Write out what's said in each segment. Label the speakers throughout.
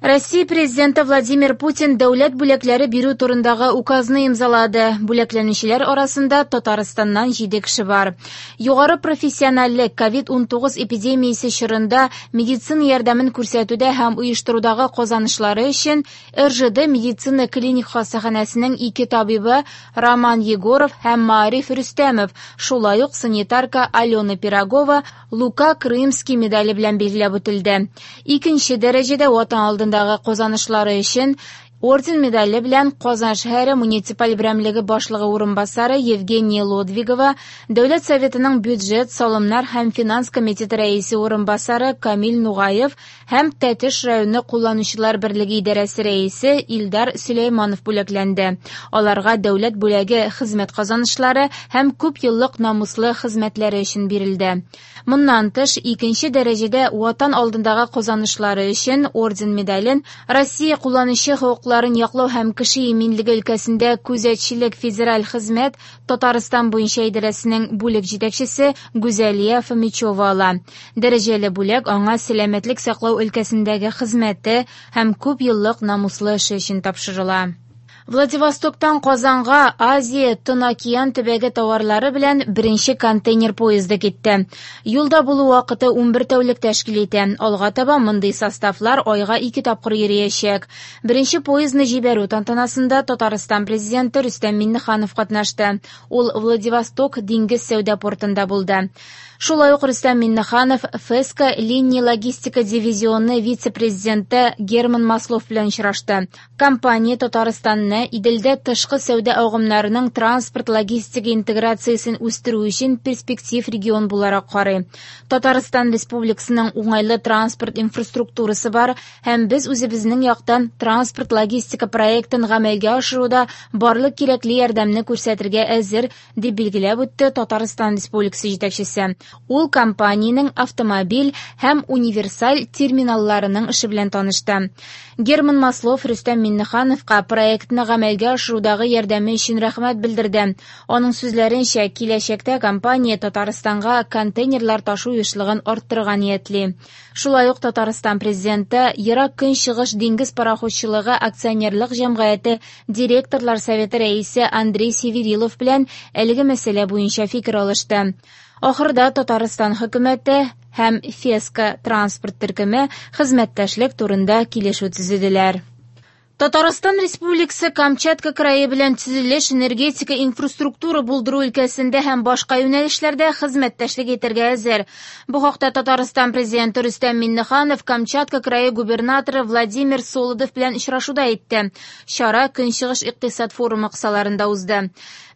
Speaker 1: Россия Президенты Владимир Путин дәүләт бүләкләре бирү турындагы указны имзалады. Бүләкләнүчеләр арасында Татарстаннан 7 кеше бар. Югары профессиональлек COVID-19 эпидемиясе чорында медицина ярдәмен күрсәтүдә һәм оештырудагы казанышлары өчен РЖД медицина клиник хастаханәсенең ике табибы Роман Егоров һәм Маариф Рөстәмов, шулай ук санитарка Алена Пирогова Лука Крымский медале белән билгеләп үтелде. Икенче дәрәҗәдә Ватан алдындагы казанышлары өчен орден медале белән Казан шәһәре муниципаль берәмлеге башлыгы урынбасары Евгения Лодвигова, Дәүләт Советының бюджет, салымнар һәм финанс комитеты рәисе урынбасары Камил Нугаев һәм Тәтеш районы кулланучылар берлеге идарәсе рәисе Илдар Сөләйманов бүләкләнде. Аларга дәүләт бүләге хезмәт казанышлары һәм күп еллык намуслы хезмәтләре өчен бирелде. Моннан тыш, икенче дәрәҗәдә Ватан алдындагы казанышлары өчен орден медален Россия кулланучы хокукларын яклау һәм кеше иминлеге өлкәсендә күзәтчелек федераль хезмәт Татарстан буенча идарәсенең бүлек җитәкчесе Гүзәлия Фомичева ала. Дәрәҗәле бүләк аңа сәламәтлек саклау өлкәсендәге хезмәте һәм күп еллык намуслы эше өчен тапшырыла. Владивостоктан Казанга Азия Тын океан төбәге товарлары белән беренче контейнер поезды китте. Юлда булу вакыты 11 тәүлек тәшкил итә. Алга таба мондый составлар айга ике тапкыр йөриячәк. Беренче поездны җибәрү тантанасында Татарстан президенты Рөстәм Миңнеханов катнашты. Ул Владивосток диңгез сәүдә портында булды. Шулай ук Рөстәм Миңнеханов ФЭСКО линия логистика дивизионы вице-президенты Герман Маслов белән очрашты. Компания Татарстанны Иделдә тышкы сәүдә агымнарының транспорт-логистика интеграциясен үстерү өчен перспектив регион буларак карый. Татарстан Республикасының уңайлы транспорт инфраструктурасы бар һәм без үзебезнең яктан транспорт-логистика проектын гамәлгә ашыруда барлык кирәкле ярдәмне күрсәтергә әзер, дип билгеләп үтте Татарстан Республикасы җитәкчесе. Ул компаниянең автомобиль һәм универсаль терминалларының эше белән танышты. Герман Маслов Рөстәм Миңнехановка проектны гамәлгә ашырудагы ярдәме өчен рәхмәт белдерде. Аның сүзләренчә, киләчәктә компания Татарстанга контейнерлар ташу ешлыгын арттырырга ниятли. Шулай ук Татарстан президенты Ерак Көнчыгыш диңгез пароходчылыгы акционерлык җәмгыяте директорлар советы рәисе Андрей Северилов белән әлеге мәсьәлә буенча фикер алышты. Ахырда Татарстан хөкүмәте һәм ФЕСКО транспорт төркеме хезмәттәшлек турында килешү төзеделәр. Татарстан Республикасы Камчатка крае белән төзелеш, энергетика, инфраструктура булдыру өлкәсендә һәм башка юнәлешләрдә хезмәттәшлек итәргә әзер. Бу хакта Татарстан президенты Рөстәм Миңнеханов Камчатка крае губернаторы Владимир Солодов белән очрашуда әйтте. Чара Көнчыгыш икътисад форумы кысаларында узды.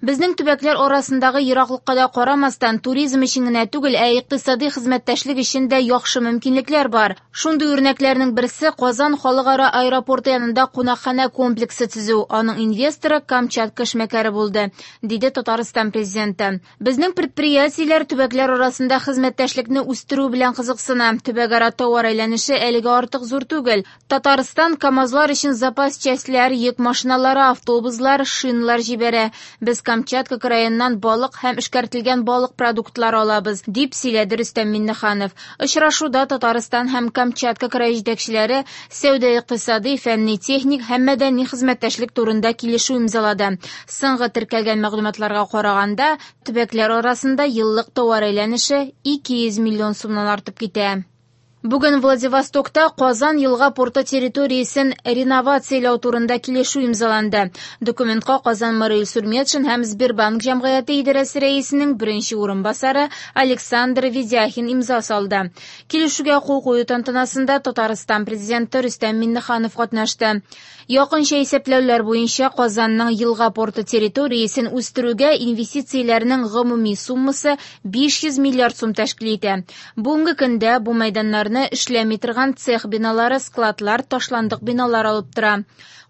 Speaker 1: Безнең төбәкләр арасындагы ераклыкка да карамастан, туризм өчен генә түгел, ә икътисади хезмәттәшлек өчен дә яхшы мөмкинлекләр бар. Шундый үрнәкләрнең берсе Казан халыкара аэропорты янында кунакханә комплексы төзү. Аның инвесторы Камчатка эшмәкәре булды, диде Татарстан президенты. Безнең предприятиеләр төбәкләр арасында хезмәттәшлекне үстерү белән кызыксына. Төбәкара товар әйләнеше әлегә артык зур түгел. Татарстан КАМАЗлар өчен запас частьләр, йөк машиналары, автобуслар, шиналар җибәрә. Без Камчатка краеннан балык һәм эшкәртелгән балык продуктлары алабыз, дип сөйләде Рөстәм Миңнеханов. Очрашуда Татарстан һәм Камчатка крае җитәкчеләре сәүдә-икътисади, фәнни-техник һәм мәдәни хезмәттәшлек турында килешү имзалады. Соңгы теркәлгән мәгълүматларга караганда, төбәкләр арасында еллык товар әйләнеше 200 миллион сумнан артып китә. Бүген Владивостокта Казан елга порты территориясен реновацияләү турында килешү имзаланды. Документка Казан мэры Илсур Метшин һәм Сбербанк җәмгыяте идарәсе рәисенең беренче урынбасары Александр Ведяхин имза салды. Килешүгә кул кую тантанасында Татарстан президенты Рөстәм Миңнеханов катнашты. Якынча исәпләүләр буенча Казанның елга порты территориясен үстерүгә инвестицияләрнең гомуми суммасы 500 миллиард сум тәшкил итә. Бүгенге көндә бу мәйданнарны эшләми торган цех биналары, складлар, ташландык биналар алып тора.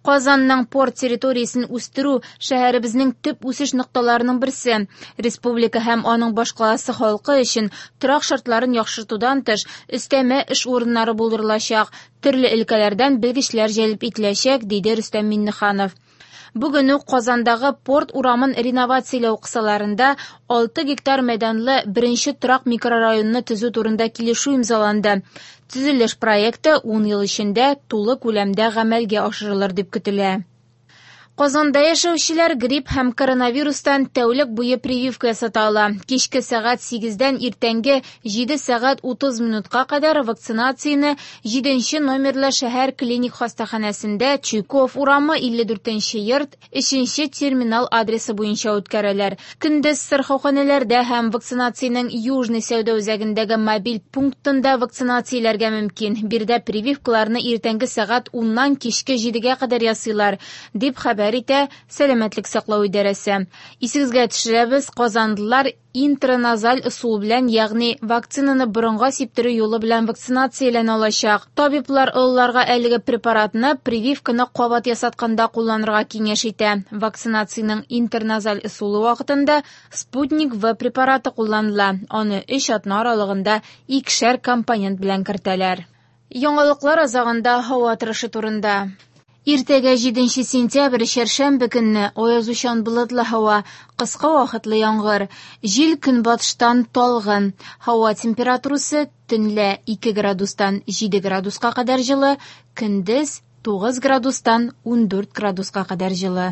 Speaker 1: Казанның порт территориясен үстерү шәһәребезнең төп үсеш нокталарының берсе. Республика һәм аның башкаласы халкы өчен торак шартларын яхшыртудан тыш, өстәмә эш урыннары булдырылачак, төрле өлкәләрдән белгечләр җәлеп ителәчәк, диде Рөстәм Миңнеханов. Бүген үк Казандагы Порт урамын реновацияләү кысаларында 6 гектар мәйданлы беренче торак микрорайонны төзү турында килешү имзаланды. Төзелеш проекты 10 ел эчендә тулы күләмдә гамәлгә ашырылыр дип көтелә. Казанда яшәүчеләр грипп һәм коронавирустан тәүлек буе прививка ясата ала. Кичке сәгать 8-дән иртәнге 7 сәгать 30 минутка кадәр вакцинацияне 7 номерлы шәһәр клиник хастаханәсендә Чуйков урамы 54 йорт 3 терминал адресы буенча үткәрәләр. Көндез сырхауханәләрдә һәм вакцинациянең Южный сәүдә үзәгендәге мобиль пунктында вакцинацияләргә мөмкин. Биредә прививкаларны иртәнге сәгать 10-нан кичке 7-гә кадәр ясыйлар, дип хәбәр итә Сәламәтлек саклау идарәсе. Исегезгә төшерәбез, казанлылар интраназаль ысул белән, ягъни вакцинаны борынга сиптерү юлы белән вакцинацияләнә алачак. Табиблар олыларга әлеге препаратны прививканы кабат ясатканда кулланырга киңәш итә. Вакцинациянең интерназаль ысулы вакытында Спутник В препараты кулланыла. Аны 3 атна аралыгында икешәр компонент белән кертәләр. Яңалыклар азагында һава торышы турында. Иртәгә 7 сентябрь чәршәмбе көнне аязучан болытлы һава, кыска вакытлы яңгыр. Җил көнбатыштан талгын. Һава температурасы төнлә 2 градустан 7 градуска кадәр җылы, көндез 9 градустан 14 градуска кадәр җылы.